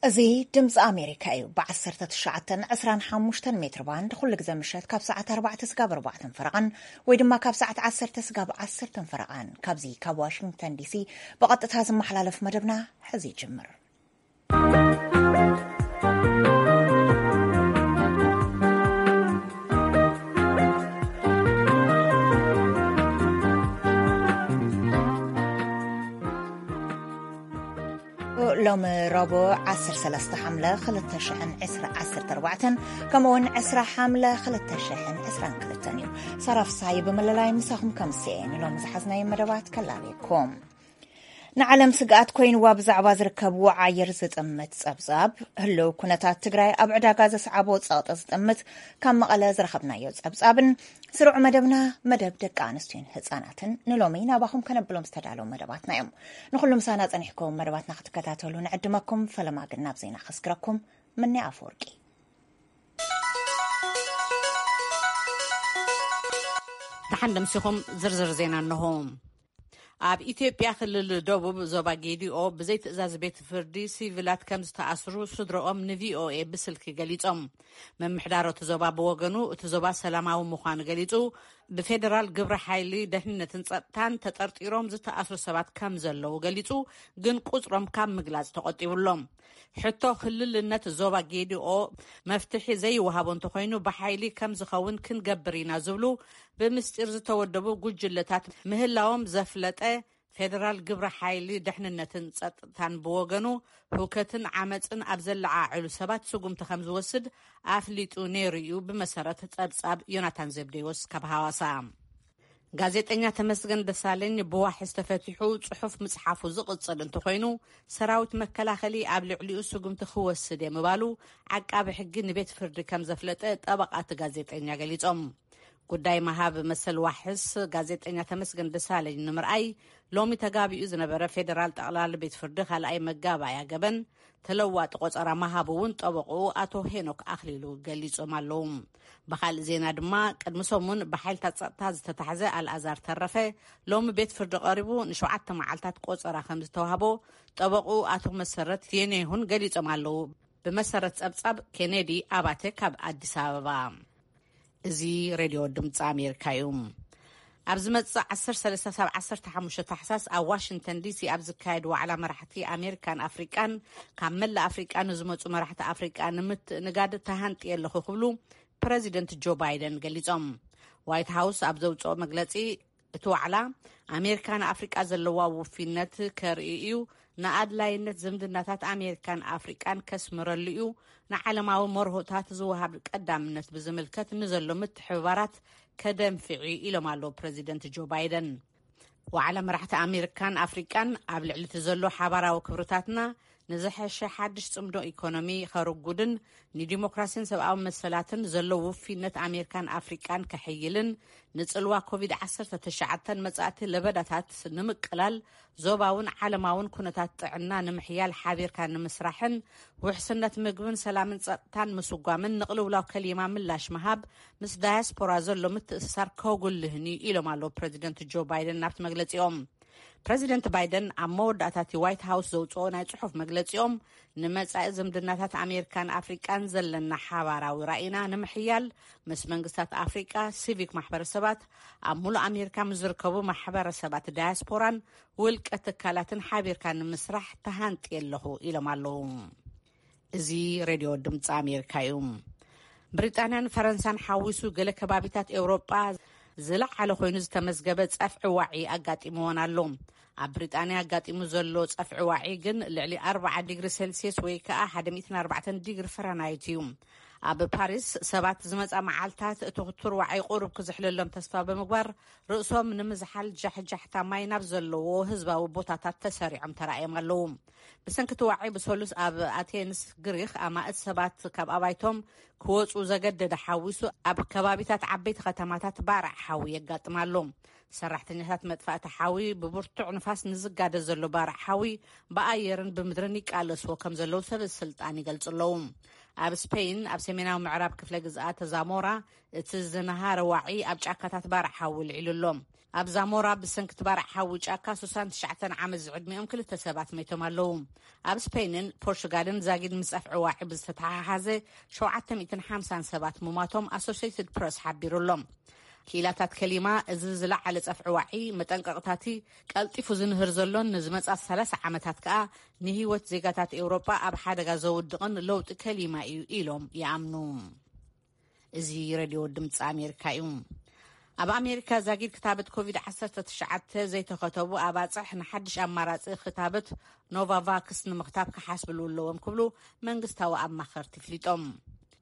እዚ ድምፂ ኣሜሪካ እዩ። ብ19፣ 25 ሜትር ባንድ ኩሉ ግዜ ምሸት ካብ ሰዓት ኣርባዕተ ስጋብ ኣርባዕተን ፈረቓን ወይ ድማ ካብ ሰዓት ዓሰርተ ስጋብ ዓሰርተን ፈረቓን ካብዚ ካብ ዋሽንግተን ዲሲ ብቐጥታ ዝመሓላለፍ መደብና ሕዚ ይጅምር። ሎሚ ረቡዕ ዓሰርተ ሰለስተ ሓምለ ክልተ ሽሕን ዕስራ ዓሰርተ ኣርባዕተን ከምኡውን ዕስራ ሓምለ ክልተ ሽሕን ዕስራን ክልተን እዩ። ሳራ ፍሳይ ብምልላይ ምሳኹም ከምስየ ንሎሚ ዝሓዝናዮ መደባት ከላለየኩም። ንዓለም ስግኣት ኮይንዋ ብዛዕባ ዝርከብ ወዓየር ዝጥምት ጸብጻብ፣ ህልው ኩነታት ትግራይ ኣብ ዕዳጋ ዘስዓቦ ጸቕጢ ዝጥምት ካብ መቐለ ዝረኸብናዮ ጸብጻብን ስሩዕ መደብና፣ መደብ ደቂ ኣንስትዮን ህጻናትን ንሎሚ ናባኹም ከነብሎም ዝተዳለዉ መደባትና እዮም። ንኹሉ ምሳና ጸኒሕኩም መደባትና ክትከታተሉ ንዕድመኩም። ፈለማ ግን ናብ ዜና ከስግረኩም። ምኒ ኣፈወርቂ። ደሓን ደምሲኹም። ዝርዝር ዜና እንሆ። ኣብ ኢትዮጵያ ክልል ደቡብ ዞባ ጌዲኦ ብዘይ ትእዛዝ ቤት ፍርዲ ሲቪላት ከም ዝተኣስሩ ስድረኦም ንቪኦኤ ብስልኪ ገሊጾም። ምምሕዳር እቲ ዞባ ብወገኑ፣ እቲ ዞባ ሰላማዊ ምዃኑ ገሊጹ፣ ብፌደራል ግብረ ሓይሊ ደሕንነትን ጸጥታን ተጠርጢሮም ዝተኣስሩ ሰባት ከም ዘለዉ ገሊጹ፣ ግን ቁጽሮም ካብ ምግላጽ ተቖጢቡ ኣሎ። ሕቶ ክልልነት ዞባ ጌዲኦ መፍትሒ ዘይወሃቦ እንተኾይኑ ብሓይሊ ከም ዝኸውን ክንገብር ኢና ዝብሉ ብምስጢር ዝተወደቡ ጉጅለታት ምህላዎም ዘፍለጠ ፌደራል ግብረ ሓይሊ ደሕንነትን ጸጥታን ብወገኑ፣ ህውከትን ዓመጽን ኣብ ዘለዓዕሉ ሰባት ስጉምቲ ከም ዝወስድ ኣፍሊጡ ነይሩ እዩ፣ ብመሰረት ጸብጻብ ዮናታን ዘብዴዎስ ካብ ሃዋሳ። ጋዜጠኛ ተመስገን ደሳለኝ ብዋሕስ ተፈቲሑ ጽሑፍ ምጽሓፉ ዝቕጽል እንተኾይኑ፣ ሰራዊት መከላኸሊ ኣብ ልዕሊኡ ስጉምቲ ክወስድ እየ ምባሉ ዓቃቢ ሕጊ ንቤት ፍርዲ ከም ዘፍለጠ ጠበቓ እቲ ጋዜጠኛ ገሊጾም። ጉዳይ ምሃብ መሰል ዋሕስ ጋዜጠኛ ተመስገን ደሳለኝ ንምርኣይ ሎሚ ተጋቢኡ ዝነበረ ፌደራል ጠቕላሊ ቤት ፍርዲ ካልኣይ መጋባእያ ገበን ተለዋጢ ቆጸራ ምሃቡ እውን ጠበቕኡ ኣቶ ሄኖክ ኣኽሊሉ ገሊጾም ኣለዉ። ብኻልእ ዜና ድማ፣ ቅድሚ ሰሙን ብሓይልታት ጸጥታ ዝተታሕዘ ኣልኣዛር ተረፈ ሎሚ ቤት ፍርዲ ቀሪቡ ንሸውዓተ መዓልታት ቆጸራ ከም ዝተዋህቦ ጠበቕኡ ኣቶ መሰረት የኔሁን ገሊጾም ኣለዉ። ብመሰረት ጸብጻብ ኬኔዲ ኣባተ ካብ ኣዲስ ኣበባ። እዚ ሬድዮ ድምፂ ኣሜሪካ እዩ። ኣብ ዝመጽእ ዓሰርተ ሰለስተ ሳብ ዓሰርተ ሓሙሽተ ታሕሳስ ኣብ ዋሽንግተን ዲሲ ኣብ ዝካየድ ዋዕላ መራሕቲ ኣሜሪካን ኣፍሪቃን፣ ካብ መላእ ኣፍሪቃ ንዝመጹ መራሕቲ ኣፍሪቃ ንምትእንጋድ ተሃንጥየ ኣለኹ ክብሉ ፕረዚደንት ጆ ባይደን ገሊጾም። ዋይት ሃውስ ኣብ ዘውጽኦ መግለጺ፣ እቲ ዋዕላ ኣሜሪካ ንኣፍሪቃ ዘለዋ ውፊነት ከርኢ እዩ፣ ንኣድላይነት ዝምድናታት ኣሜሪካን ኣፍሪቃን ከስምረሉ እዩ፣ ንዓለማዊ መርሆታት ዝወሃብ ቀዳምነት ብዝምልከት ንዘሎ ምትሕብባራት ከደንፍዒ ኢሎም ኣለዉ ፕረዚደንት ጆ ባይደን። ዋዕላ መራሕቲ ኣሜሪካን ኣፍሪቃን ኣብ ልዕሊ እቲ ዘሎ ሓባራዊ ክብርታትና ንዝሐሸ ሓድሽ ጽምዶ ኢኮኖሚ ከርጉድን ንዲሞክራሲን ሰብኣዊ መሰላትን ዘሎ ውፊነት ኣሜሪካን ኣፍሪቃን ከሕይልን ንጽልዋ ኮቪድ ዓሰርተ ትሽዓተ መጻእቲ ለበዳታት ንምቅላል ዞባውን ዓለማውን ኩነታት ጥዕና ንምሕያል ሓቢርካ ንምስራሕን ውሕስነት ምግብን ሰላምን ጸጥታን ምስጓምን ንቅልውላው ከሊማ ምላሽ ምሃብ ምስ ዳያስፖራ ዘሎ ምትእስሳር ከጉልህን እዩ ኢሎም ኣለዉ ፕረዚደንት ጆ ባይደን ናብቲ መግለጺኦም። ፕረዚደንት ባይደን ኣብ መወዳእታ እቲ ዋይት ሃውስ ዘውጽኦ ናይ ጽሑፍ መግለጺኦም፣ ንመጻኢ ዝምድናታት ኣሜሪካን ኣፍሪቃን ዘለና ሓባራዊ ራኢና ንምሕያል፣ ምስ መንግስታት ኣፍሪቃ፣ ሲቪክ ማሕበረሰባት፣ ኣብ ሙሉእ ኣሜሪካ ምስ ዝርከቡ ማሕበረሰባት ዳያስፖራን ውልቀ ትካላትን ሓቢርካ ንምስራሕ ተሃንጥየ ኣለኹ ኢሎም ኣለዉ። እዚ ሬድዮ ድምፂ ኣሜሪካ እዩ። ብሪጣንያን ፈረንሳን ሓዊሱ ገለ ከባቢታት ኤውሮጳ ዝለዓለ ኮይኑ ዝተመዝገበ ጸፍዒ ዋዒ ኣጋጢምዎን ኣሎ። ኣብ ብሪጣንያ ኣጋጢሙ ዘሎ ጸፍዒ ዋዒ ግን ልዕሊ ኣርብዓ ዲግሪ ሴልሲየስ ወይ ከኣ ሓደ ሚእትን ኣርባዕተን ዲግሪ ፈረናይት እዩ። ኣብ ፓሪስ ሰባት ዝመጻ መዓልታት እቲ ክቱር ዋዒ ቁሩብ ክዝሕለሎም ተስፋ ብምግባር ርእሶም ንምዝሓል ጃሕጃሕታ ማይ ናብ ዘለዎ ህዝባዊ ቦታታት ተሰሪዖም ተራእዮም ኣለዉ። ብሰንኪ እቲ ዋዒ ብሰሉስ ኣብ ኣቴንስ ግሪኽ ኣማእት ሰባት ካብ ኣባይቶም ክወጹ ዘገደደ ሓዊሱ ኣብ ከባቢታት ዓበይቲ ከተማታት ባርዕ ሓዊ የጋጥም ኣሎ። ሰራሕተኛታት መጥፋእቲ ሓዊ ብብርቱዕ ንፋስ ንዝጋደ ዘሎ ባርዕ ሓዊ ብኣየርን ብምድርን ይቃለስዎ ከም ዘለዉ ሰብ ስልጣን ይገልጹ ኣለዉ። ኣብ ስፔይን ኣብ ሰሜናዊ ምዕራብ ክፍለ ግዝኣት ዛሞራ እቲ ዝነሃረ ዋዒ ኣብ ጫካታት ባርዕ ሓዊ ልዒሉ ኣሎ። ኣብ ዛሞራ ብሰንኪ እቲ ባርዕ ሓዊ ጫካ ሱሳን ትሽዓተን ዓመት ዝዕድሚኦም ክልተ ሰባት መይቶም ኣለዉ። ኣብ ስፔይንን ፖርቹጋልን ዛጊድ ምስ ጸፍዒ ዋዒ ብዝተተሓሓዘ ሸውዓተ ሚእትን ሓምሳን ሰባት ምሟቶም ኣሶሲየትድ ፕረስ ሓቢሩ ኣሎ። ክኢላታት ከሊማ፣ እዚ ዝለዓለ ጸፍዒ ዋዒ መጠንቀቕታቲ ቀልጢፉ ዝንህር ዘሎን ንዝመጻ ሰላሳ ዓመታት ከኣ ንህይወት ዜጋታት ኤውሮጳ ኣብ ሓደጋ ዘውድቕን ለውጢ ከሊማ እዩ ኢሎም ይኣምኑ። እዚ ሬድዮ ድምፂ ኣሜሪካ እዩ። ኣብ ኣሜሪካ ዛጊድ ክታበት ኮቪድ ዓሰርተ ትሽዓተ ዘይተኸተቡ ኣባፅሕ ንሓድሽ ኣማራፂ ክታበት ኖቫቫክስ ንምኽታብ ክሓስብሉ ኣለዎም ክብሉ መንግስታዊ ኣማኸርቲ ፍሊጦም።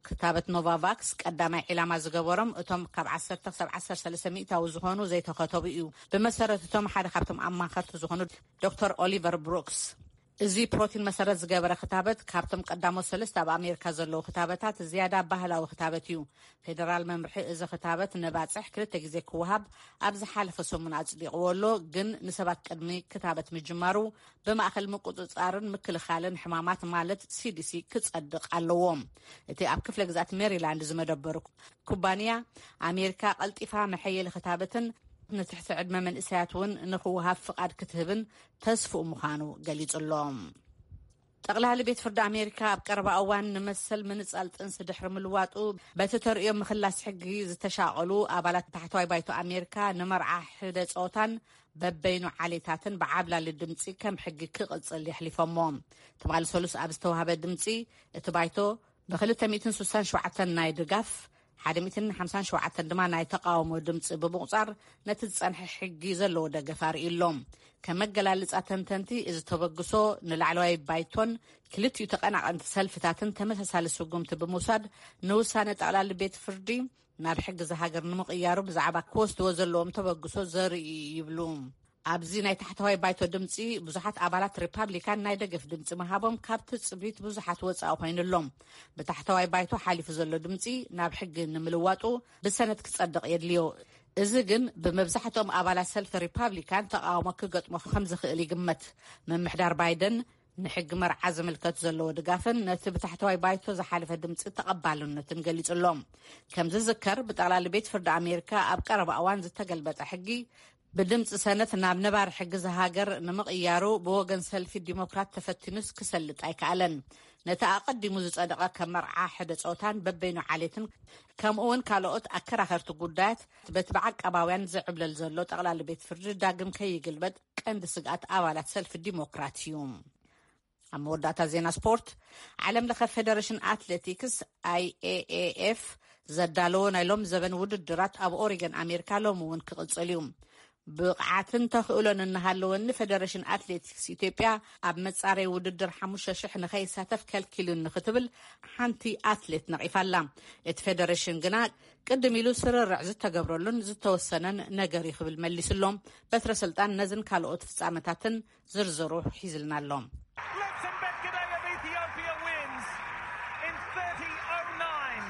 ክታበት ኖቫቫክስ ቀዳማይ ዒላማ ዝገበሮም እቶም ካብ ዓሰርተ ክሳብ ዓሰርተ ሰለስተ ሚእታዊ ዝኾኑ ዘይተኸተቡ እዩ። ብመሰረት እቶም ሓደ ካብቶም ኣማኸርቲ ዝኾኑ ዶክተር ኦሊቨር ብሩክስ፣ እዚ ፕሮቲን መሰረት ዝገበረ ክታበት ካብቶም ቀዳሞት ሰለስተ ኣብ ኣሜሪካ ዘለዉ ክታበታት ዝያዳ ባህላዊ ክታበት እዩ። ፌደራል መምርሒ እዚ ክታበት ነባፅሕ ክልተ ግዜ ክወሃብ ኣብ ዝሓለፈ ሰሙን ኣፅዲቕዎ ኣሎ፣ ግን ንሰባት ቅድሚ ክታበት ምጅማሩ ብማእኸል ምቁፅፃርን ምክልኻልን ሕማማት ማለት ሲዲሲ ክፀድቕ ኣለዎ። እቲ ኣብ ክፍለ ግዛት ሜሪላንድ ዝመደበሩ ኩባንያ፣ ኣሜሪካ ቀልጢፋ መሐየሊ ክታበትን ንትሕቲ ዕድመ መንእሰያት እውን ንክወሃብ ፍቓድ ክትህብን ተስፍኡ ምዃኑ ገሊጹ ኣሎ። ጠቕላሊ ቤት ፍርዲ ኣሜሪካ ኣብ ቀረባ እዋን ንመሰል ምንጻል ጥንሲ ድሕሪ ምልዋጡ፣ በቲ ተርእዮ ምኽላስ ሕጊ ዝተሻቐሉ ኣባላት ታሕተዋይ ባይቶ ኣሜሪካ ንመርዓ ሕደ ጾታን በበይኑ ዓሌታትን ብዓብላሊ ድምጺ ከም ሕጊ ክቕጽል የሕሊፎሞ። ትማሊ ሰሉስ ኣብ ዝተዋህበ ድምጺ፣ እቲ ባይቶ ብክልተ ሚእትን ስሳን ሸውዓተን ናይ ድጋፍ፣ ሓደ ሚእትን ሓምሳን ሸውዓተን ድማ ናይ ተቃውሞ ድምፂ ብምቁፃር፣ ነቲ ዝፀንሐ ሕጊ ዘለዎ ደገፍ ኣርእዩ ኣሎ። ከም መገላልፃ ተንተንቲ፣ እዚ ተበግሶ ንላዕለዋይ ባይቶን ክልቲኡ ተቀናቀንቲ ሰልፍታትን ተመሳሳሊ ስጉምቲ ብምውሳድ፣ ንውሳነ ጠቕላሊ ቤት ፍርዲ ናብ ሕጊ ዝሃገር ንምቕያሩ ብዛዕባ ክወስድዎ ዘለዎም ተበግሶ ዘርኢ ይብሉ። ኣብዚ ናይ ታሕተዋይ ባይቶ ድምፂ ብዙሓት ኣባላት ሪፓብሊካን ናይ ደገፍ ድምፂ ምሃቦም ካብ ትፅቢት ብዙሓት ወፃኢ ኮይኑሎም። ብታሕተዋይ ባይቶ ሓሊፉ ዘሎ ድምፂ ናብ ሕጊ ንምልዋጡ ብሰነት ክፀድቕ የድልዮ። እዚ ግን ብመብዛሕትኦም ኣባላት ሰልፊ ሪፓብሊካን ተቃውሞ ክገጥሞ ከም ዝኽእል ይግመት። ምምሕዳር ባይደን ንሕጊ መርዓ ዝምልከት ዘለዎ ድጋፍን ነቲ ብታሕተዋይ ባይቶ ዝሓለፈ ድምፂ ተቐባልነትን ገሊጹ ኣሎ። ከም ዝዝከር፣ ብጠቕላሊ ቤት ፍርዲ ኣሜሪካ ኣብ ቀረባ እዋን ዝተገልበጠ ሕጊ ብድምፂ ሰነት ናብ ነባሪ ሕጊ ዝሃገር ንምቕያሩ ብወገን ሰልፊ ዲሞክራት ተፈቲኑስ ክሰልጥ ኣይከኣለን። ነቲ ኣቐዲሙ ዝጸደቐ ከም መርዓ ሕደ ጾታን በበይኑ ዓሌትን ከምኡ እውን ካልኦት ኣከራኸርቲ ጉዳያት በቲ ብዓቃባውያን ዝዕብለል ዘሎ ጠቕላሊ ቤት ፍርዲ ዳግም ከይግልበጥ ቀንዲ ስግኣት ኣባላት ሰልፊ ዲሞክራት እዩ። ኣብ መወዳእታ ዜና ስፖርት፣ ዓለም ለኸ ፌደሬሽን ኣትሌቲክስ፣ ኣይኤኤኤፍ፣ ዘዳለዎ ናይ ሎም ዘበን ውድድራት ኣብ ኦሪገን ኣሜሪካ ሎሚ እውን ክቕጽል እዩ። ብቕዓትን ተኽእሎን እናሃለወኒ፣ ፌደሬሽን ኣትሌቲክስ ኢትዮጵያ ኣብ መጻረይ ውድድር ሓሙሽተ ሽሕ ንኸይሳተፍ ከልኪሉኒ ክትብል ሓንቲ ኣትሌት ነቒፋ ኣላ። እቲ ፌደሬሽን ግና ቅድም ኢሉ ስርርዕ ዝተገብረሉን ዝተወሰነን ነገር እዩ ክብል መሊሱ ኣሎ። በትረ ስልጣን ነዝን ካልኦት ፍጻመታትን ዝርዝሩ ሒዝልና ኣሎ። Let's embed Gidey of Ethiopia wins in thirty oh nine.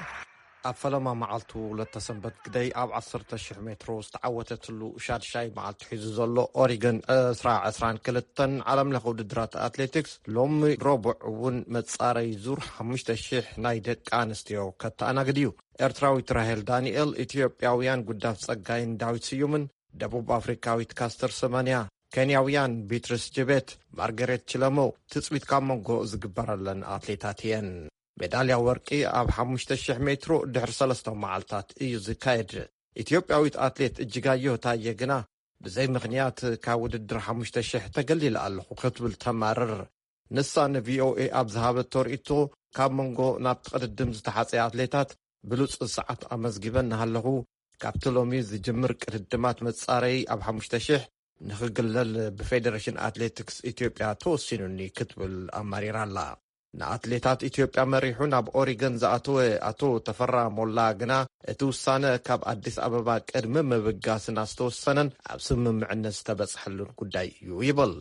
ኣብ ፈለማ መዓልቱ ለተሰንበት ግደይ ኣብ ዓሰርተ ሽሕ ሜትሮ ዝተዓወተትሉ ሻድሻይ መዓልቱ ሒዙ ዘሎ ኦሪገን ዕስራ ዕስራን ክልተን ዓለም ለኸ ውድድራት ኣትሌቲክስ ሎሚ ረቡዕ እውን መጻረይ ዙር ሓሙሽተ ሽሕ ናይ ደቂ ኣንስትዮ ከተኣናግድ እዩ። ኤርትራዊት ራሄል ዳንኤል፣ ኢትዮጵያውያን ጉዳፍ ጸጋይን ዳዊት ስዩምን፣ ደቡብ ኣፍሪካዊት ካስተር ሰማንያ፣ ኬንያውያን ቢትሪስ ጅቤት፣ ማርገሬት ችለሞ ትጽቢት ካብ መንጎ ዝግበረለን ኣትሌታት እየን። ሜዳልያ ወርቂ ኣብ ሓሙሽተ ሽሕ ሜትሮ ድሕሪ ሰለስተ መዓልታት እዩ ዝካየድ። ኢትዮጵያዊት ኣትሌት እጅጋየሁ ታየ ግና ብዘይ ምኽንያት ካብ ውድድር ሓሙሽተ ሽሕ ተገሊለ ኣለኹ ክትብል ተማርር። ንሳ ንቪኦኤ ኣብ ዝሃበቶ ርእይቶ፣ ካብ መንጎ ናብቲ ቅድድም ዝተሓጸየ ኣትሌታት ብሉጽ ሰዓት ኣመዝጊበ እናሃለኹ፣ ካብቲ ሎሚ ዝጅምር ቅድድማት መጻረይ ኣብ ሓሙሽተ ሽሕ ንኽግለል ብፌደሬሽን ኣትሌቲክስ ኢትዮጵያ ተወሲኑኒ ክትብል ኣማሪራ ኣላ። ንኣትሌታት ኢትዮጵያ መሪሑ ናብ ኦሪገን ዝኣተወ ኣቶ ተፈራ ሞላ ግና፣ እቲ ውሳነ ካብ ኣዲስ ኣበባ ቅድሚ ምብጋስና ዝተወሰነን ኣብ ስምምዕነት ዝተበጽሐሉን ጉዳይ እዩ ይብል።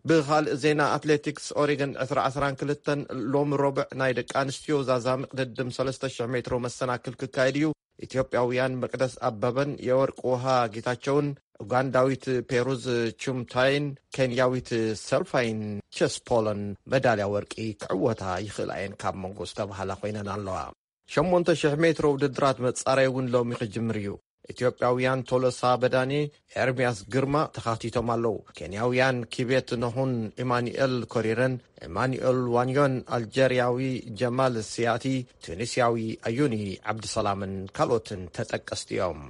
ብኻልእ ዜና ኣትሌቲክስ፣ ኦሪገን ዕስራ ዕስራን ክልተን ሎሚ ረቡዕ ናይ ደቂ ኣንስትዮ ዛዛሚ ቅድድም ሰለስተ ሽሕ ሜትሮ መሰናክል ክካየድ እዩ። ኢትዮጵያውያን መቅደስ ኣበበን የወርቅ ውሃ ጌታቸውን፣ ኡጋንዳዊት ፔሩዝ ቹምታይን ኬንያዊት ሰልፋይን ቸስፖሎን መዳልያ ወርቂ ክዕወታ ይኽእላ እየን ካብ መንጎ ዝተባህላ ኮይነን ኣለዋ። ሸሞንተ ሽሕ ሜትሮ ውድድራት መጻረይ እውን ሎሚ ክጅምር እዩ። ኢትዮጵያውያን ቶሎሳ በዳኔ፣ ኤርሚያስ ግርማ ተኻቲቶም ኣለዉ። ኬንያውያን ኪቤት ኖሁን ኢማኑኤል ኮሪረን፣ ኢማኑኤል ዋንዮን፣ ኣልጀርያዊ ጀማል ሲያቲ፣ ቱኒስያዊ ኣዩኒ ዓብድሰላምን ካልኦትን ተጠቀስቲ እዮም።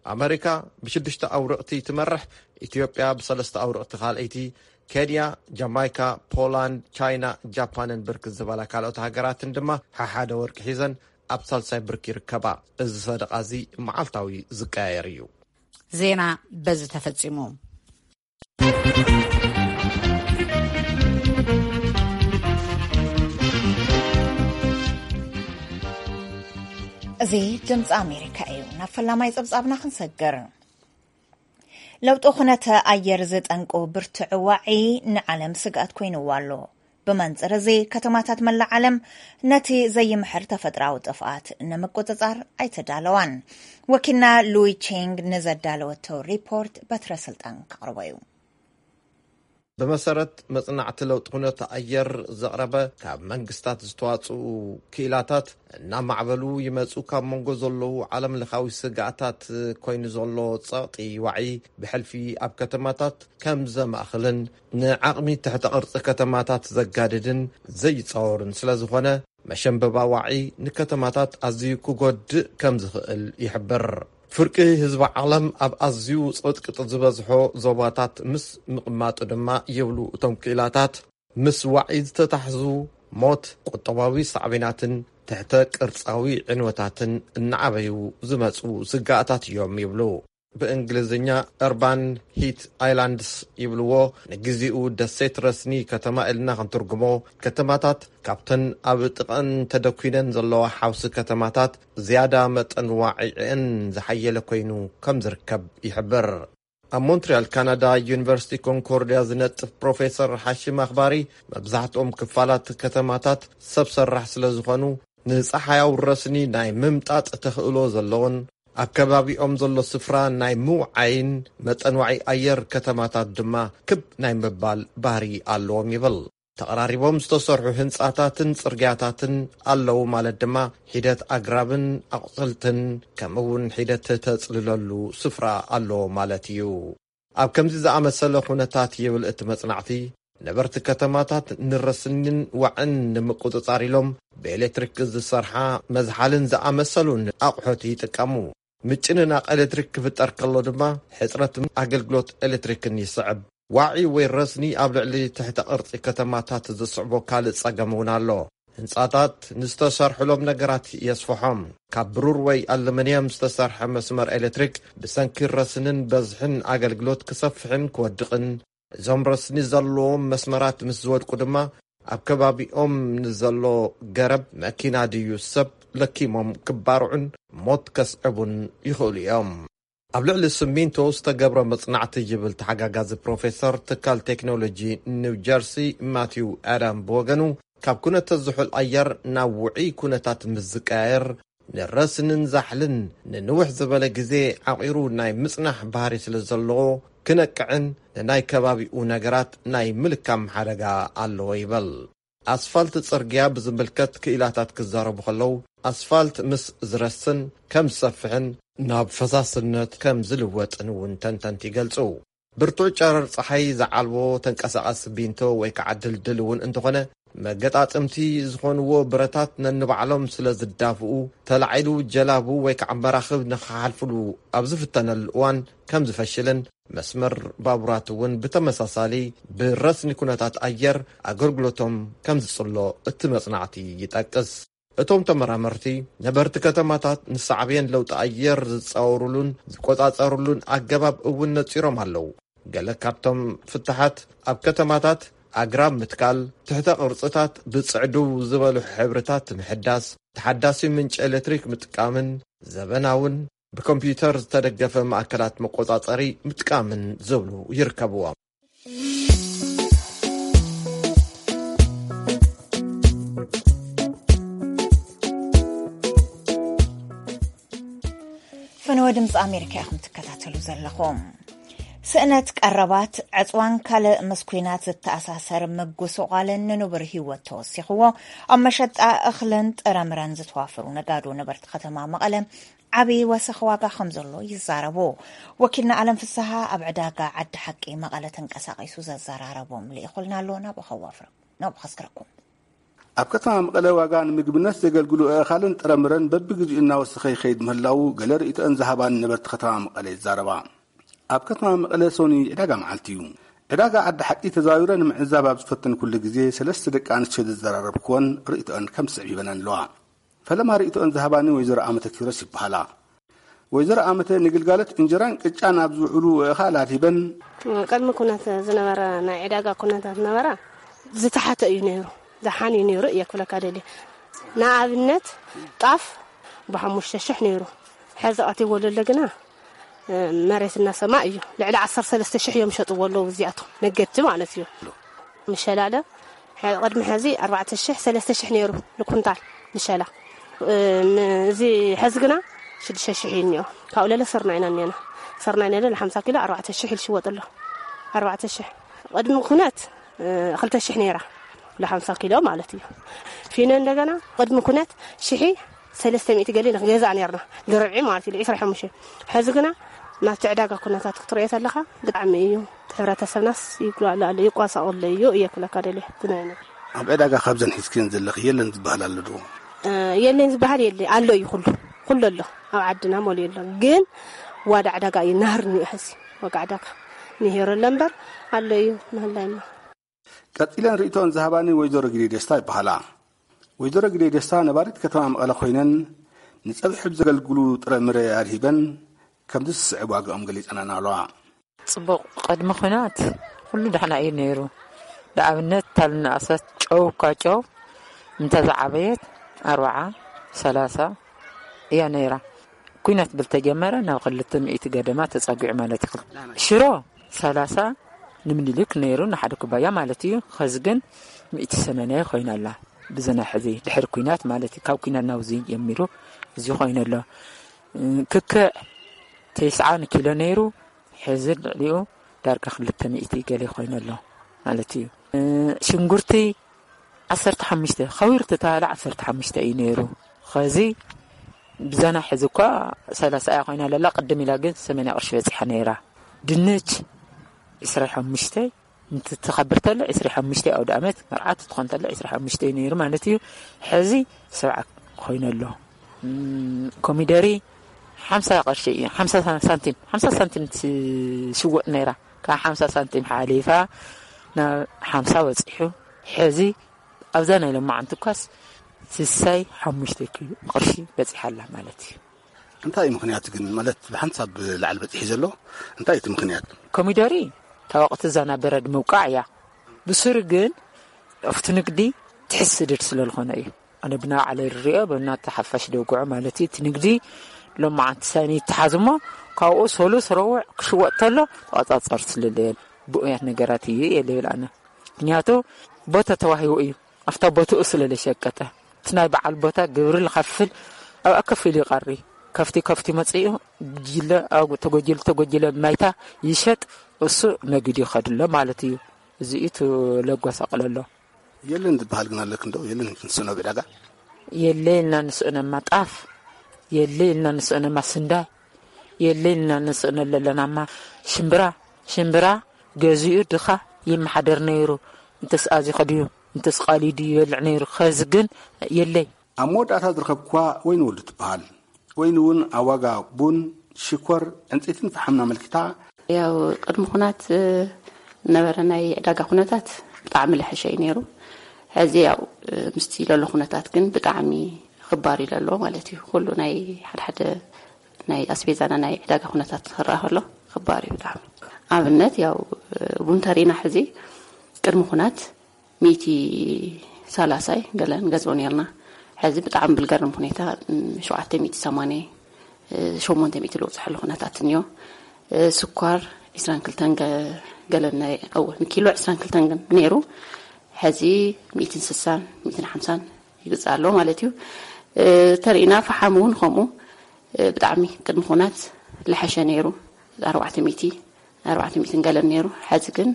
ኣመሪካ ብሽዱሽተ ኣውርቕቲ ትመርሕ፣ ኢትዮጵያ ብሰለስተ ኣውርቕቲ ካልኣይቲ፣ ኬንያ፣ ጃማይካ፣ ፖላንድ፣ ቻይና፣ ጃፓንን ብርክት ዝበላ ካልኦት ሃገራትን ድማ ሓሓደ ወርቂ ሒዘን ኣብ ሳልሳይ ብርኪ ይርከባ። እዚ ሰደቓ እዚ መዓልታዊ ዝቀያየር እዩ። ዜና በዚ ተፈጺሙ። እዚ ድምፂ ኣሜሪካ እዩ። ናብ ፈላማይ ፀብፃብና ክንሰግር። ለውጢ ኩነተ ኣየር ዝጠንቁ ብርቱዕ ዋዒ ንዓለም ስግኣት ኮይንዋ ኣሎ። ብመንፅር እዚ ከተማታት መላእ ዓለም ነቲ ዘይምሕር ተፈጥራዊ ጥፍኣት ንምቁፅፃር ኣይተዳለዋን። ወኪልና ሉዊ ቼንግ ንዘዳለወቶ ሪፖርት በትረ ስልጣን ከቕርቦ እዩ። ብመሰረት መጽናዕቲ ለውጢ ኩነተ ኣየር ዘቕረበ፣ ካብ መንግስታት ዝተዋጽኡ ክኢላታት እናማዕበሉ ይመጹ ካብ መንጎ ዘለዉ ዓለም ለኻዊ ስግኣታት ኮይኑ ዘሎ ጸቕጢ ዋዒ ብሕልፊ ኣብ ከተማታት ከም ዘማእኽልን ንዓቕሚ ትሕተ ቅርጺ ከተማታት ዘጋድድን ዘይጻወርን ስለ ዝኾነ፣ መሸንበባ ዋዒ ንከተማታት ኣዝዩ ክጎድእ ከም ዝኽእል ይሕብር። ፍርቂ ህዝቢ ዓለም ኣብ ኣዝዩ ጽቕጥቅጥ ዝበዝሖ ዞባታት ምስ ምቕማጡ ድማ ይብሉ እቶም ክኢላታት፣ ምስ ዋዒ ዝተታሕዙ ሞት፣ ቁጠባዊ ሳዕቤናትን ትሕተ ቅርጻዊ ዕንወታትን እናዓበዩ ዝመጹ ስጋኣታት እዮም ይብሉ። ብእንግሊዝኛ Urban Heat Islands ይብልዎ። ንግዜኡ ደሴት ረስኒ ከተማ ኢልና ክንትርጉሞ፣ ከተማታት ካብተን ኣብ ጥቐን ተደኲነን ዘለዋ ሓውሲ ከተማታት ዝያዳ መጠን ዋዒዕን ዝሓየለ ኮይኑ ከም ዝርከብ ይሕብር። ኣብ ሞንትሪያል ካናዳ ዩኒቨርሲቲ ኮንኮርድያ ዝነጥፍ ፕሮፌሰር ሓሽም ኣኽባሪ፣ መብዛሕትኦም ክፋላት ከተማታት ሰብ ሰራሕ ስለ ዝኾኑ፣ ንጸሓያዊ ረስኒ ናይ ምምጣጥ ተኽእሎ ዘለዎን ኣብ ከባቢኦም ዘሎ ስፍራ ናይ ምውዓይን መጠን ዋዒ ኣየር ከተማታት ድማ ክብ ናይ ምባል ባህሪ ኣለዎም ይብል። ተቐራሪቦም ዝተሰርሑ ህንጻታትን ጽርግያታትን ኣለዉ ማለት ድማ ሒደት ኣግራብን ኣቑጽልትን ከምኡ እውን ሒደት ተጽልለሉ ስፍራ ኣለዎ ማለት እዩ። ኣብ ከምዚ ዝኣመሰለ ኩነታት ይብል እቲ መጽናዕቲ፣ ነበርቲ ከተማታት ንረስኒን ዋዕን ንምቁጽጻር ኢሎም ብኤሌክትሪክ ዝሰርሓ መዝሓልን ዝኣመሰሉን ኣቑሑት ይጥቀሙ። ምጭንናቕ ኤሌክትሪክ ክፍጠር ከሎ ድማ ሕጽረት ኣገልግሎት ኤሌክትሪክን ይስዕብ። ዋዒ ወይ ረስኒ ኣብ ልዕሊ ትሕተ ቅርጺ ከተማታት ዝስዕቦ ካልእ ጸገም እውን ኣሎ። ህንጻታት ንዝተሰርሕሎም ነገራት የስፍሖም። ካብ ብሩር ወይ ኣሉሚንየም ዝተሰርሐ መስመር ኤሌክትሪክ ብሰንኪ ረስንን በዝሕን ኣገልግሎት ክሰፍሕን ክወድቕን፣ እዞም ረስኒ ዘለዎም መስመራት ምስ ዝወድቁ ድማ ኣብ ከባቢኦም ንዘሎ ገረብ፣ መኪና ድዩ ሰብ ለኪሞም ክባርዑን ሞት ከስዕቡን ይኽእሉ እዮም። ኣብ ልዕሊ ስሚንቶ ዝተገብረ መጽናዕቲ ይብል ተሓጋጋዚ ፕሮፌሰር ትካል ቴክኖሎጂ ኒው ጀርሲ ማቲው ኣዳም ብወገኑ፣ ካብ ኩነተ ዝሑል ኣየር ናብ ውዑይ ኩነታት ምስ ዝቀያየር፣ ንረስንን ዛሕልን ንንውሕ ዝበለ ግዜ ዓቒሩ ናይ ምጽናሕ ባህሪ ስለ ዘለዎ፣ ክነቅዕን ንናይ ከባቢኡ ነገራት ናይ ምልካም ሓደጋ ኣለዎ ይብል። ኣስፋልት ጽርግያ ብዝምልከት ክኢላታት ክዛረቡ ከለዉ፣ ኣስፋልት ምስ ዝረስን ከም ዝሰፍሕን ናብ ፈሳስነት ከም ዝልወጥን እውን ተንተንቲ ይገልጹ። ብርቱዕ ጨረር ጸሓይ ዝዓልቦ ተንቀሳቓሲ ቢንቶ ወይ ከዓ ድልድል እውን እንተኾነ፣ መገጣጥምቲ ዝኾንዎ ብረታት ነንባዕሎም ስለ ዝዳፍኡ፣ ተላዒሉ ጀላቡ ወይ ከዓ መራኽብ ንኽሓልፍሉ ኣብ ዝፍተነሉ እዋን ከም ዝፈሽልን፣ መስመር ባቡራት እውን ብተመሳሳሊ ብረስኒ ኩነታት ኣየር ኣገልግሎቶም ከም ዝጽሎ እቲ መጽናዕቲ ይጠቅስ። እቶም ተመራመርቲ፣ ነበርቲ ከተማታት ንሳዕቤን ለውጢ ኣየር ዝጻወሩሉን ዝቆጻጸሩሉን ኣገባብ እውን ነጺሮም ኣለዉ። ገለ ካብቶም ፍታሓት፣ ኣብ ከተማታት ኣግራብ ምትካል፣ ትሕተ ቅርጽታት ብጽዕድው ዝበሉ ሕብርታት ምሕዳስ፣ ተሓዳሲ ምንጪ ኤሌክትሪክ ምጥቃምን ዘበናውን ብኮምፒውተር ዝተደገፈ ማእከላት መቆጻጸሪ ምጥቃምን ዝብሉ ይርከብዎም። ፈነወ ድምፂ ኣሜሪካ ኢኹም ትከታተሉ ዘለኹም። ስእነት ቀረባት፣ ዕፅዋን ካልእ ምስ ኲናት ዝተኣሳሰር ምጉስቋልን ንንቡር ህይወት ተወሲኽዎ፣ ኣብ መሸጣ እኽልን ጥረምረን ዝተዋፈሩ ነጋዶ ነበርቲ ከተማ መቐለ ዓብዪ ወሰኽ ዋጋ ከም ዘሎ ይዛረቡ። ወኪልና ኣለም ፍስሃ ኣብ ዕዳጋ ዓዲ ሓቂ መቐለ ተንቀሳቒሱ ዘዘራረቦም ልኢኹልና ኣሎ። ናብኡ ከዋፍረኩም፣ ናብኡ ከስክረኩም። ኣብ ከተማ መቐለ ዋጋ ንምግብነት ዘገልግሉ ኣእኻልን ጥረምረን በብግዜኡ እናወሰኸ ይኸይድ ምህላዉ ገለ ርእይቶአን ዝሃባኒ ነበርቲ ከተማ መቐለ ይዛረባ። ኣብ ከተማ መቐለ ሶኒ ዕዳጋ መዓልቲ እዩ። ዕዳጋ ዓዲ ሓቂ ተዛዊረ ንምዕዛብ ኣብ ዝፈተንኩሉ ግዜ ሰለስተ ደቂ ኣንስትዮ ዘዘራረብኩወን ርእይቶአን ከም ዝስዕብ ሂበናን ኣለዋ። ፈለማ ርእይቶአን ዝሃባኒ ወይዘሮ ኣመተ ኪሮስ ይበሃላ። ወይዘሮ ኣመተ ንግልጋሎት እንጀራን ቅጫን ኣብ ዝውዕሉ ኣእኻል ኣድሂበን። ቅድሚ ኩነት ዝነበረ ናይ ዕዳጋ ኩነታት ነበረ ዝተሓተ እዩ ነይሩ፣ ዝሓን እዩ ነይሩ እየ ክብለካ ደልየ። ንኣብነት ጣፍ ብሓሙሽተ ሽሕ ነይሩ፣ ሕዚ ቀቲዎ ዘሎ ግና መሬትና ሰማይ እዩ። ልዕሊ ዓሰርተ ሰለስተ ሽሕ እዮም ሸጥዎ ኣለዉ እዚኣቶም ነገድቲ ማለት እዩ። ምሸላለ ቅድሚ ሕዚ ኣርባዕተ ሽሕ ሰለስተ ሽሕ ነይሩ ንኩንታል ምሸላ። እዚ ሕዚ ግና ሽዱሽተ ሽሕ እዩ እኒኦ። ካብኡ ለለ ስርናይና እኒኦና። ስርናይ ነለ ለ ሓምሳ ኪሎ ኣርባዕተ ሽሕ ኢሉ ሽወጥ ኣሎ። ኣርባዕተ ሽሕ ቅድሚ ኩነት ክልተ ሽሕ ነይራ፣ ለ ሓምሳ ኪሎ ማለት እዩ። ፊኖ እንደገና ቅድሚ ኩነት ሽሒ ሰለስተ ሚእቲ ገሊ ንክገዛእ ነርና፣ ልርብዒ ማለት እዩ፣ ዒስራ ሓሙሽተ። ሕዚ ግና ናብቲ ዕዳጋ ኩነታት ክትርእዮ ተለኻ ብጣዕሚ እዩ፣ ሕብረተሰብናስ ይጉላሉ ኣሎ፣ ይቋሳቑ ኣሎ እዩ እየ ክብለካ ደልየ። እቲ ናይ ነገር ኣብ ዕዳጋ ካብዘን ሒዝክን ዘለኺ የለን ዝበሃል ኣሎ ዶ? እ፣ የለን ዝበሃል የለ፣ ኣሎ እዩ፣ ኩሉ ኩሉ ኣሎ። ኣብ ዓድና መሊኡ ኣሎ፣ ግን ዋዳ ዕዳጋ እዩ ናህር እኒኦ። ሕዚ ዋጋ ዕዳጋ ንሄሮ ኣሎ እምበር ኣሎ እዩ ምህላይና። ቀጺለን ርእይቶን ዝሃባኒ ወይዘሮ ግዴ ደስታ ይበሃላ። ወይዘሮ ግዴ ደስታ ነባሪት ከተማ መቐለ ኮይነን፣ ንጸብሒ ብዘገልግሉ ጥረ ምረ ኣድሂበን፣ ከምዚ ዝስዕብ ዋጋኦም ገሊጸናን ኣለዋ። ጽቡቕ፣ ቅድሚ ኹናት ኩሉ ደሕና እዩ ነይሩ። ንኣብነት፣ ታል ንኣሰት ጨው እኳ ጨው እንተ ዝዓበየት ኣርብዓ፣ ሰላሳ እያ ነይራ። ኲናት ብልተጀመረ ናብ ክልተ ሚእቲ ገደማ ተጸጊዑ ማለት እዩ። ሽሮ ሰላሳ ንምኒልክ ነይሩ ንሓደ ኩባያ ማለት እዩ። ኸዚ ግን ሚእቲ ሰማንያ ኮይና ኣላ። ብዘና ሕዚ ድሕሪ ኲናት ማለት እዩ። ካብ ኲናት ናብዚ ጀሚሩ እዚ ኮይኑ ኣሎ። ክክዕ ተስዓ ንኪሎ ነይሩ፣ ሕዚ ልዕሊኡ ዳርጋ ክልተ ሚእቲ ገለ ኮይኑ ኣሎ ማለት እዩ። ሽንጉርቲ ዓሰርተ ሓሙሽተ ከዊር ተተባለ ዓሰርተ ሓሙሽተ እዩ ነይሩ። ኸዚ ብዘና ሕዚ እኳ ሰላሳ እያ ኮይና ለላ፣ ቅድም ኢላ ግን ሰማንያ ቅርሺ በጺሓ ነይራ። ድንች ዕስራ ሓሙሽተ እንትትኸብር ተሎ ዕስራ ሓሙሽተ፣ ኣውደ ኣመት መርዓት ትኾን ተሎ ዕስራ ሓሙሽተ እዩ ነይሩ ማለት እዩ። ሕዚ ሰብዓ ኮይኑ ኣሎ። እም፣ ኮሚደሪ ሓምሳ ቅርሺ እዩ፣ ሓምሳ ሳንቲም፣ ሓምሳ ሳንቲም ትሽወጥ ነይራ። ካብ ሓምሳ ሳንቲም ሓሊፋ ናብ ሓምሳ በጺሑ። ሕዚ ኣብዛ ናይ ሎማዓንቲ እኳስ ስሳይ ሓሙሽተ ኪሎ ቅርሺ በጺሓ ኣላ ማለት እዩ። እንታይ እዩ ምኽንያቱ ግን? ማለት ብሓንሳብ ላዕሊ በጺሑ ዘሎ እንታይ እዩ እቲ ምኽንያት? ኮሚደሪ ታወቕቲ እዛ ናብ በረድ ምውቃዕ እያ። ብስሩ ግን ኣብቲ ንግዲ ትሕት ስድድ ስለ ዝኾነ እዩ። ኣነ ብናይ ባዕለይ ዝሪኦ፣ ብናተ ሓፋሽ ደውግዖ ማለት እዩ። እቲ ንግዲ ሎማዓንቲ ሳኒ ይተሓዝ እሞ፣ ካብኡ ሰሉስ ረቡዕ ክሽወጥ ተሎ ተቆጻጸርቲ ስለለየን ብኡያት ነገራት እዩ እየ ልብል ኣነ። ምክንያቱ ቦታ ተዋሂቡ እዩ። ኣብታ ቦትኡ ስለ ለሸቀጠ፣ እቲ ናይ በዓል ቦታ ግብሪ ልኸፍል ኣብኣ ከፊሉ ይቐሪ። ከፍቲ ከፍቲ መጺኡ፣ ጉጅለ፣ ኣብ ተጎጅሉ ተጎጅለ ማይታ ይሸጥ፣ እሱ ነጊዱ ይኸድሎ ማለት እዩ። እዚ እዩ እቲ ለጓሳቕለሎ። የለን ዝበሃል ግን ኣለክ እንዶ? የለን ንስእኖ ብዕዳጋ? የለ ኢልና ንስእነማ ጣፍ፣ የለ ኢልና ንስእነማ ስንዳይ፣ የለ ኢልና ንስእነ ለለናማ ሽምብራ። ሽምብራ ገዚኡ ድኻ ይመሓደር ነይሩ። እንተስ ኣዚኸ ድዩ፣ እንተስ ቃልዩ ድዩ ይበልዕ ነይሩ። ኸዚ ግን የለይ። ኣብ መወዳእታ ዝረኸብኩዋ ወይኒ ወልዱ ትበሃል። ወይኒ እውን ኣብ ዋጋ ቡን፣ ሽኮር፣ ዕንጸይትን ፈሓምን ኣመልኪታ። ያው ቅድሚ ኹናት፣ እ፣ ነበረ ናይ ዕዳጋ ኩነታት ብጣዕሚ ልሕሸ እዩ ነይሩ። ሕዚ ያው፣ እ፣ ምስቲ ለሎ ኩነታት ግን ብጣዕሚ ክባር ኢሉ ኣሎ ማለት እዩ። ኩሉ ናይ ሓደ ሓደ ናይ ኣስቤዛና ናይ ዕዳጋ ኩነታት ክረኣ ከሎ ክባር እዩ ብጣዕሚ። ኣብነት ያው፣ እ፣ ቡን ተሪና ሕዚ ቅድሚ ኩናት ሚእቲ ሰላሳይ ገለ ንገዝኦ ነርና። ሕዚ ብጣዕሚ ብልገርም ሁኔታ፣ ም፣ ሸውዓተ ሚእቲ ሰማንያ፣ እ፣ ሸሞንተ ሚእቲ ልውፅሐሉ ኩነታት እኒኦ። እ፣ ስኳር ዒስራን ክልተን ገ-፣ ገለ ናይ፣ እወ፣ ንኪሎ ዒስራን ክልተን ግን ነይሩ። ሕዚ ሚእትን ስሳን፣ ሚእትን ሓምሳን ይግዛእ ኣሎ ማለት እዩ። እ፣ ተሪእና ፈሓም እውን ከምኡ። ብጣዕሚ ቅድሚ ኩናት ልሓሸ ነይሩ። ኣርባዕተ ሚእቲ ኣርባዕተ ሚእቲ ገለን ነይሩ። ሕዚ ግን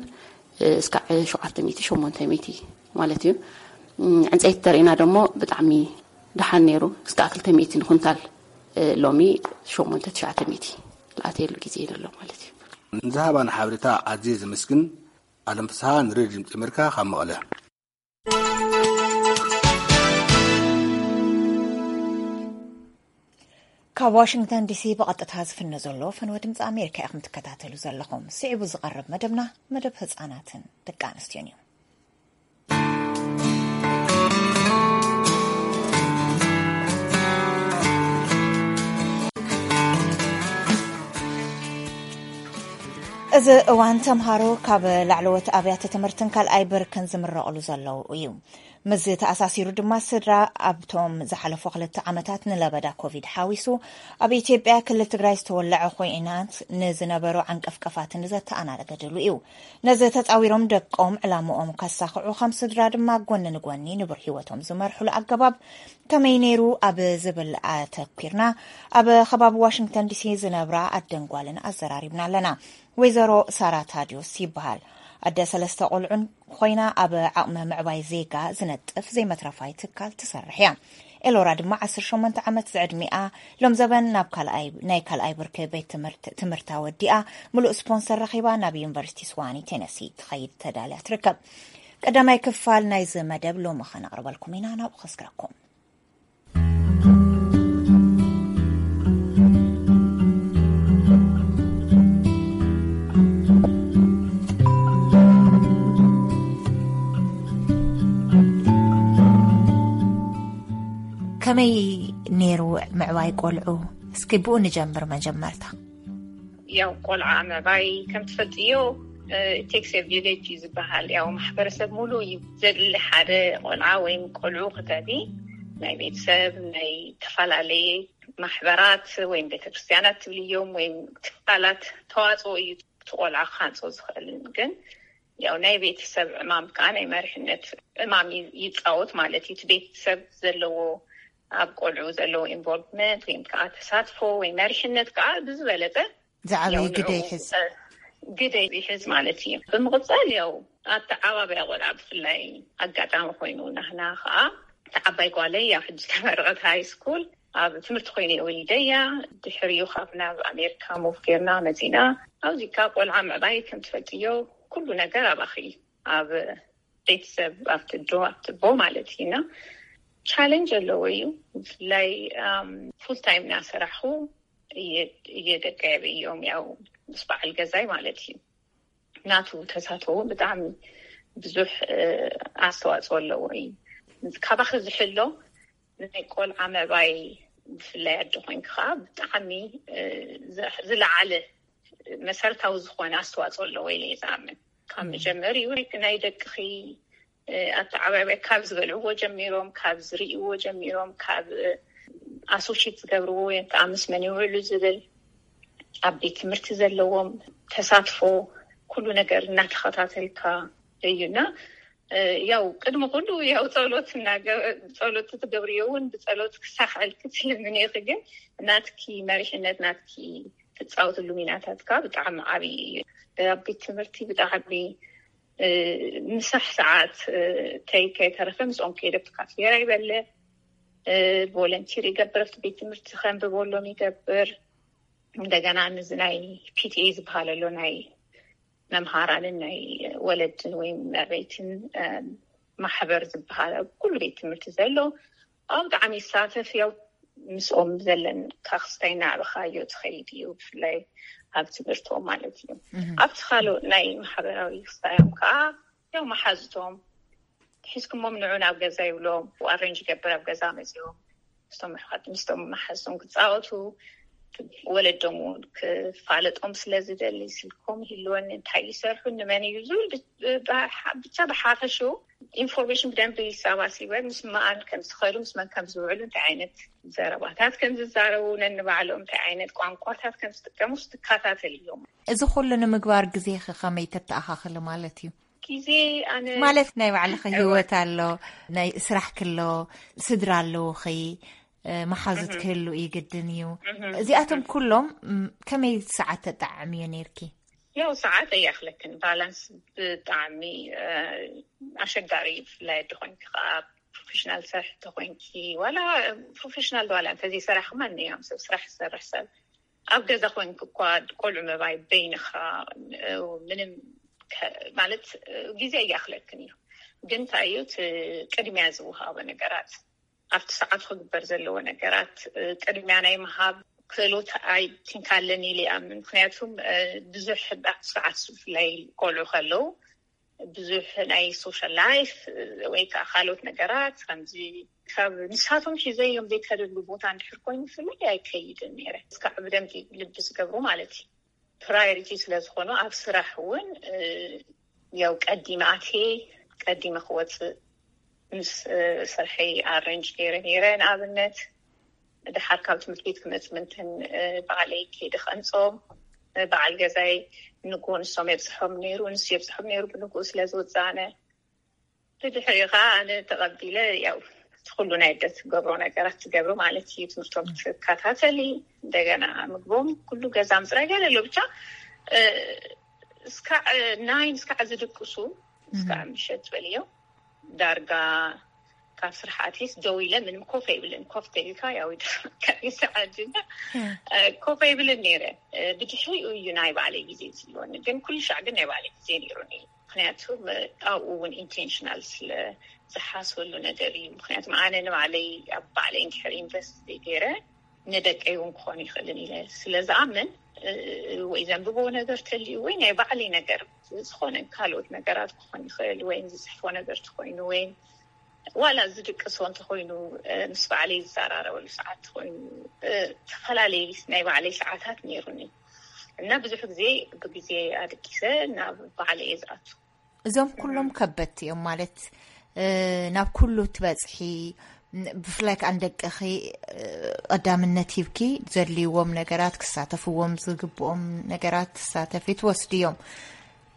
እስካዕ ሸውዓተ ሚእቲ ሸሞንተ ሚእቲ ማለት እዩ። ዕንፀይቲ ተርእና ደሞ ብጣዕሚ ደሓን ነይሩ። እስካዕ ክልተ ሚእቲ ንኩንታል፣ ሎሚ ሸሞንተ ትሽዓተ ሚእቲ ዝኣተየሉ ግዜ ዘሎ ማለት እዩ። ንዝሃባና ሓበሬታ ኣዝየ ዘመስግን። ኣለም ፍስሃ ንሬድዮ ድምፂ ኣሜሪካ ካብ መቐለ። ካብ ዋሽንግተን ዲሲ ብቐጥታ ዝፍነ ዘሎ ፈንወ ድምፂ ኣሜሪካ ኢኹም ትከታተሉ ዘለኹም። ስዒቡ ዝቐርብ መደብና መደብ ህፃናትን ደቂ ኣንስትዮን እዩ። እዚ እዋን ተምሃሮ ካብ ላዕለዎት ኣብያተ ትምህርትን ካልኣይ ብርክን ዝምረቕሉ ዘለዉ እዩ። ምስ ተኣሳሲሩ ድማ ስድራ ኣብቶም ዝሓለፉ ክልተ ዓመታት ንለበዳ ኮቪድ ሓዊሱ ኣብ ኢትዮጵያ ክልል ትግራይ ዝተወለዐ ኮይናት ንዝነበሩ ዓንቀፍቀፋትን ዘተኣናገደሉ እዩ። ነዚ ተፃዊሮም ደቆም ዕላምኦም ከሳኽዑ ከም ስድራ ድማ ጎኒ ንጎኒ ንቡር ህይወቶም ዝመርሕሉ ኣገባብ ከመይ ነይሩ ኣብ ዝብል ኣተኲርና ኣብ ከባቢ ዋሽንግተን ዲሲ ዝነብራ ኣደን ጓልን ኣዘራሪብና ኣለና። ወይዘሮ ሳራ ታዲዮስ ይበሃል። ኣደ ሰለስተ ቆልዑን ኮይና ኣብ ዓቕሚ ምዕባይ ዜጋ ዝነጥፍ ዘይመትረፋይ ትካል ትሰርሕ እያ። ኤሎራ ድማ ዓሰርተ ሸሞንተ ዓመት ዝዕድሚኣ ሎም ዘበን ናብ ካልኣይ ናይ ካልኣይ ብርኪ ቤት ትምህርት ትምህርታ ወዲኣ ምሉእ ስፖንሰር ረኺባ ናብ ዩኒቨርሲቲ ስዋኒ ቴነሲ ትኸይድ ተዳልያ ትርከብ። ቀዳማይ ክፋል ናይዚ መደብ ሎሚ ኸነቕርበልኩም ኢና። ናብኡ ኸስግረኩም። ከመይ ነይሩ ምዕባይ ቆልዑ? እስኪ ብኡ ንጀምር መጀመርታ። ያው ቆልዓ ምዕባይ ከም ትፈልጥዮ ቴክስ ቪሌጅ እዩ ዝበሃል። ያው ማሕበረሰብ ሙሉ እዩ ዘድሊ ሓደ ቆልዓ ወይም ቆልዑ ክተቢ ናይ ቤተሰብ ናይ ተፈላለየ ማሕበራት ወይም ቤተክርስትያናት ትብልዮም ወይም ትካላት ተዋፅኦ እዩ እቲ ቆልዓ ክሃንፆ ዝኽእል። ግን ያው ናይ ቤተሰብ ዕማም ከዓ ናይ መሪሕነት ዕማም ይፃወት ማለት እዩ። እቲ ቤተሰብ ዘለዎ ኣብ ቆልዑ ዘለዎ ኢንቮልቭመንት ወይም ከዓ ተሳትፎ ወይ መሪሕነት ከዓ ብዝበለፀ ዝዓበየ ግደ ይሕዝ። ግደ ይሕዝ ማለት እዩ። ብምቕፃል ያው ኣተዓባብያ ቆልዓ ብፍላይ ኣጋጣሚ ኮይኑ ናህና ከዓ ተዓባይ ጓለይ ያው ሕጂ ተመረቐት ሃይ ስኩል ኣብ ትምህርቲ ኮይነ ወሊደያ። ድሕሪኡ ካብ ናብ ኣሜሪካ ሙቭ ጌርና መፂና። ኣብዚ ካ ቆልዓ ምዕባይ ከም ትፈልጥዮ ኩሉ ነገር ኣባኺ ኣብ ቤተሰብ ኣብቲ ዶ ኣብቲ ቦ ማለት እዩ። እና ቻለንጅ ኣለዎ እዩ። ብፍላይ ፉል ታይም እናሰራሕኩ እየ ደቀ እዮም ያው ምስ በዓል ገዛይ ማለት እዩ። ናቱ ተሳትፎ እውን ብጣዕሚ ብዙሕ ኣስተዋፅኦ ኣለዎ እዩ። ካባኺ ዝሕሎ ናይ ቆልዓ ምዕባይ ብፍላይ ኣደ ኮይንኪ ከዓ ብጣዕሚ ዝለዓለ መሰረታዊ ዝኾነ ኣስተዋፅኦ ኣለዎ ኢለ እየ ዝኣምን። ካብ መጀመሪኡ ናይ ደቅኺ ኣተዓባብያ ካብ ዝበልዕዎ ጀሚሮም፣ ካብ ዝርእይዎ ጀሚሮም፣ ካብ ኣሶሽት ዝገብርዎ ወይ ከዓ ምስ መን ይውዕሉ ዝብል ኣብ ቤት ትምህርቲ ዘለዎም ተሳትፎ ኩሉ ነገር እናተኸታተልካ እዩና ያው ቅድሚ ኩሉ ያው ፀሎት ጸሎት ትገብርዮ እውን ብጸሎት ክሳኽዐልኪ ትልምኒ ኢኺ። ግን ናትኪ መሪሕነት ናትኪ ትፃወትሉ ሚናታትካ ብጣዕሚ ዓብዪ እዩ። ኣብ ቤት ትምህርቲ ብጣዕሚ ምሳሕ ሰዓት ተይከይተረፈ ምስኦም ከይደ ኣብቲ ካፍቴርያ ይበልዕ፣ ቮለንቲር ይገብር፣ ኣብቲ ቤት ትምህርቲ ከንብበሎም ይገብር። እንደገና ንዚ ናይ ፒቲኤ ዝበሃል ኣሎ ናይ መምሃራንን ናይ ወለድን ወይ መዕበይትን ማሕበር ዝበሃል ኣብ ኩሉ ቤት ትምህርቲ ዘሎ ኣብ ብጣዕሚ ይሳተፍ ያው ምስኦም ዘለን ካክስታይ እናዕበኻዮ ትኸይድ እዩ ብፍላይ ኣብ ትምህርቶም ማለት እዩ። ኣብቲ ካልእ ናይ ማሕበራዊ ክስታዮም ከዓ ያው መሓዝቶም ሒዝኩሞም ንዑ ናብ ገዛ ይብሎም ኣረንጅ ይገብር ኣብ ገዛ መፅኦም ምስቶም ኣሕዋት ምስቶም መሓዝቶም ክፃወቱ ወለዶም እውን ክፋለጦም ስለዝደሊ ስልኮም ይህልወኒ እንታይ ይሰርሑ ንመን እዩ ዝብል ብቻ ብሓፈሽኡ ኢንፎርሜሽን ብደንብ ይሰባሲበ ምስ መኣን ከም ዝኸዱ ምስ መን ከም ዝውዕሉ እንታይ ዓይነት ዘረባታት ከም ዝዛረቡ ነንባዕሎም እንታይ ዓይነት ቋንቋታት ከም ዝጥቀሙ ዝትካታተል እዮም። እዚ ኩሉ ንምግባር ግዜኺ ከመይ ተተኣኻኽሊ ማለት እዩ? ግዜ ኣነ ማለት ናይ ባዕልኺ ህይወት ኣሎ፣ ናይ ስራሕኪ ኣሎ፣ ስድራ ኣለውኺ። መሓዙት ክህሉ ይግድን እዩ። እዚኣቶም ኩሎም ከመይ ሰዓት ተጠዓዕምዮ ነርኪ? ያው ሰዓት እያክለክን ባላንስ ብጣዕሚ ኣሸጋሪ እዩ። ብፍላይ ኣደ ኮይንኪ ከዓ ፕሮፌሽናል ስራሕ ተኮይንኪ ዋላ ፕሮፌሽናል ዋላ እንተዘይሰራሕ ማንኛውም ሰብ ስራሕ ዝሰርሕ ሰብ ኣብ ገዛ ኮይንኪ እኳ ቆልዑ ምዕባይ በይንኻ ምንም ማለት ግዜ እያክለክን እዩ። ግን እንታይ እዩ እቲ ቅድሚያ ዝወሃቦ ነገራት ኣብቲ ሰዓቱ ክግበር ዘለዎ ነገራት ቅድሚያ ናይ ምሃብ ክእሎት ኣይ ቲንክ ኣለኒ ኢለ ይኣምን። ምክንያቱም ብዙሕ ኣብቲ ሰዓት ብፍላይ ቆልዑ ከለዉ ብዙሕ ናይ ሶሻል ላይፍ ወይ ከዓ ካልኦት ነገራት ከምዚ ካብ ንሳቶም ሒዘዮም ዘይከደሉ ቦታ እንድሕር ኮይኑ ብፍላይ ኣይከይድን ነይረ። እስካዕ ብደንቢ ልቢ ዝገብሩ ማለት እዩ። ፕራዮሪቲ ስለዝኾኑ ኣብ ስራሕ እውን ያው ቀዲመ ኣትየ ቀዲመ ክወፅእ ምስ ስርሐይ ኣረንጅ ገይረ ነይረ። ንኣብነት ድሓር ካብ ትምህርቲ ቤት ክመፅ ምንትን ባዕለይ ከይደ ከንፆም በዓል ገዛይ ንግሆ ንሶም የብፅሖም ነይሩ፣ ንሱ የብፅሖም ነይሩ። ብንግኡ ስለ ዝወፃነ ብድሕሪኡ ከዓ ኣነ ተቐቢለ ያው እቲ ኩሉ ናይ ኣደ ትገብሮ ነገራት ትገብሪ ማለት እዩ። ትምህርቶም ትከታተሊ፣ እንደገና ምግቦም ኩሉ ገዛ ምፅራይ ገለ ኣሎ ብቻ እስካዕ ናይን እስካዕ ዝድቅሱ እስካዕ ምሸት በልዮ ዳርጋ ካብ ስራሕ ኣትሊስ ደው ኢለ ምንም ኮፍ ኣይብልን። ኮፍ ተይልካ ያው ይደፍረካ እዩ ሰዓት እና ኮፍ ኣይብልን ነይረ። ብድሕሪኡ እዩ ናይ ባዕለይ ግዜ ዝህልወኒ፣ ግን ኩሉ ሻዕ ግን ናይ ባዕለይ ግዜ ነይሩኒ። ምክንያቱ ኣብኡ እውን ኢንቴንሽናል ስለ ዝሓስበሉ ነገር እዩ። ምክንያቱ ኣነ ንባዕለይ ኣብ ባዕለይ እንድሕር ኢንቨስት ዘይገይረ ንደቀይ እውን ክኾን ይኽእልን ኢለ ስለ ዝኣምን ወይ ዘንብቦ ነገር ተልዩ ወይ ናይ ባዕለይ ነገር ዝኾነ ካልኦት ነገራት ክኾን ይኽእል ወይ ዝፅሕፎ ነገር ተኮይኑ ወይ ዋላ ዝድቅሶ እንተኮይኑ ምስ ባዕለይ ዝዘራረበሉ ሰዓት ተኮይኑ ዝተፈላለዩ ናይ ባዕለይ ሰዓታት ነይሩኒ እና ብዙሕ ግዜ ብግዜ ኣድቂሰ ናብ ባዕለይ እየ ዝኣቱ። እዞም ኩሎም ከበድቲ እዮም ማለት ናብ ኩሉ ትበፅሒ ብፍላይ ከዓ ንደቅኺ ቀዳምነት ሂብኪ ዘድልይዎም ነገራት ክሳተፍዎም ዝግብኦም ነገራት ትሳተፊ ትወስድዮም።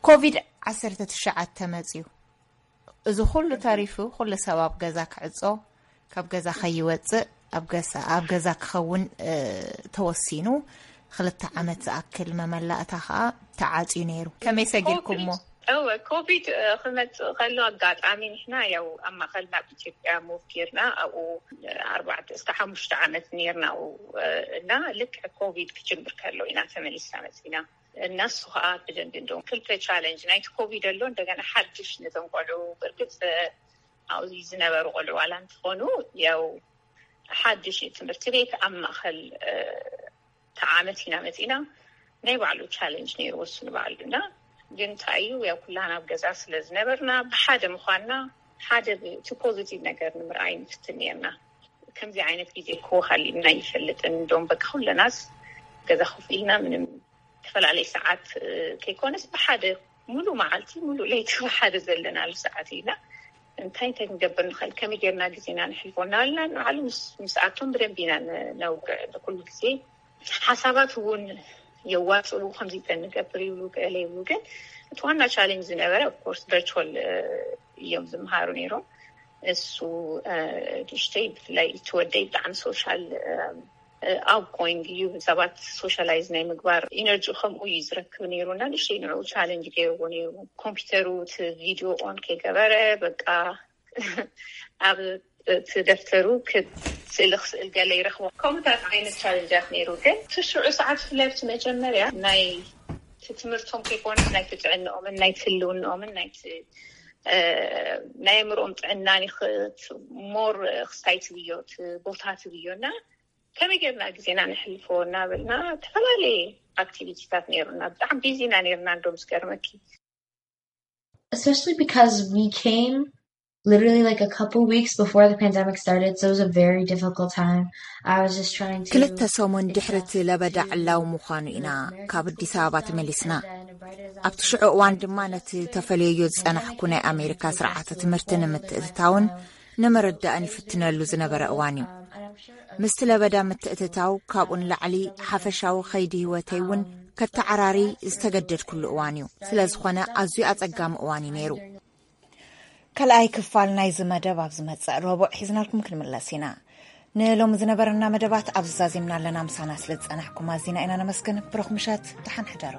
ኮቪድ ዓሰርተ ትሽዓተ መፅዩ። እዚ ኩሉ ተሪፉ ኩሉ ሰብ ኣብ ገዛ ክዕፆ ካብ ገዛ ከይወፅእ ኣብ ገዛ ክኸውን ተወሲኑ ክልተ ዓመት ዝኣክል መመላእታ ከዓ ተዓፅዩ ነይሩ። ከመይ ሰጊርኩሞ? እወ ኮቪድ ክመፅእ ከሎ ኣጋጣሚ ንሕና ያው ኣብ ማእኸል ናብ ኢትዮጵያ ሙቭ ጌርና ኣብኡ ኣርባዕተ እስካ ሓሙሽተ ዓመት ኔርና እና ልክዕ ኮቪድ ክጅምር ከሎ ኢና ተመሊስና መፂና እና እሱ ከዓ ብደንቢ እንደውም ክልተ ቻለንጅ ናይቲ ኮቪድ ኣሎ እንደገና ሓድሽ ነቶም ቆልዑ ብርግፅ ኣብዚ ዝነበሩ ቆልዑ ዋላ እንትኾኑ ያው ሓድሽ ትምህርቲ ቤት ኣብ ማእኸል ተዓመት ኢና መፂና ናይ ባዕሉ ቻለንጅ ነይሩ ወስኑ ባዕሉ እና ግን እንታይ እዩ ያው ኩላና ኣብ ገዛ ስለ ዝነበርና ብሓደ ምኳንና ሓደ እቲ ፖዚቲቭ ነገር ንምርኣይ ንፍትን ነርና። ከምዚ ዓይነት ግዜ ክወሃልዩና ይፈልጥን እንደም በቃ ኩለናስ ገዛ ኮፍ ኢልና ምንም ዝተፈላለየ ሰዓት ከይኮነስ ብሓደ ሙሉ መዓልቲ ሙሉ ለይቲ ብሓደ ዘለናሉ ሰዓት ኢና እንታይ እንታይ ክንገብር ንኽእል ከመይ ጌርና ግዜና ንሕልፎ እናበልና ንባዕሉ ምስኣቶም ብደንብ ኢና ነውግዕ ንኩሉ ግዜ ሓሳባት እውን የዋፅኡ ከምዚ ንገብር ይብሉ ገለ ይብሉ ግን እቲ ዋና ቻሌንጅ ዝነበረ ኦፍኮርስ ቨርቹዋል እዮም ዝምሃሩ ነይሮም እሱ ንእሽተይ ብፍላይ እቲ ወደይ ብጣዕሚ ሶሻል ኣውትጎይንግ እዩ ሰባት ሶሻላይዝ ናይ ምግባር ኢነርጂ ከምኡ እዩ ዝረክብ ነይሩ እና ንእሽተይ ንዕኡ ቻለንጅ ገይርዎ ነይሩ ኮምፒውተሩ እቲ ቪድዮ ኦን ከይገበረ በቃ ኣብ እቲ ደፍተሩ ስእሊ ክስእል ገለ ይረክቦ ከምታት ዓይነት ቻለንጃት ነይሩ ግን እቲ ሽዑ ሰዓት ብፍላይ ኣብቲ መጀመርያ ናይ ትምህርቶም ከይኮነስ ናይ ትጥዕንኦምን ናይ ትህልውንኦምን ናይ ናይ ኣእምሮኦም ጥዕና ሞር ክስታይ ትብዮ ቦታ ትብዮ እና ከመይ ጌርና ግዜና ንሕልፎ እናበልና ዝተፈላለየ ኣክቲቪቲታት ነይሩና ብጣዕሚ ቢዚ ኢና ነይርና እንዶ ምስ ገርመኪ especially because we came literally like a couple weeks before the pandemic started, so it was a very difficult time. I was just trying to ክልተ ሰሙን ድሕሪ እቲ ለበዳ ዕላዊ ምዃኑ ኢና ካብ ኣዲስ ኣበባ ተመሊስና። ኣብቲ ሽዑ እዋን ድማ ነቲ ተፈልየዮ ዝጸናሕኩ ናይ ኣሜሪካ ስርዓተ ትምህርቲ ንምትእትታውን ንምርዳእን ይፍትነሉ ዝነበረ እዋን እዩ። ምስቲ ለበዳ ምትእትታው ካብኡ ንላዕሊ ሓፈሻዊ ኸይዲ ህይወተይ እውን ከተዓራሪ ዝተገደድኩሉ እዋን እዩ። ስለ ዝኾነ ኣዝዩ ኣጸጋሚ እዋን እዩ ነይሩ። ካልኣይ ክፋል ናይዚ መደብ ኣብ ዝመጽእ ረቡዕ ሒዝናልኩም ክንምለስ ኢና። ንሎሚ ዝነበረና መደባት ኣብዚ ዛዚምና ኣለና። ምሳና ስለ ዝጸናሕኩም ኣዚና ኢና ነመስግን። ብሩኽ ምሸት፣ ደሓን ሕደሩ።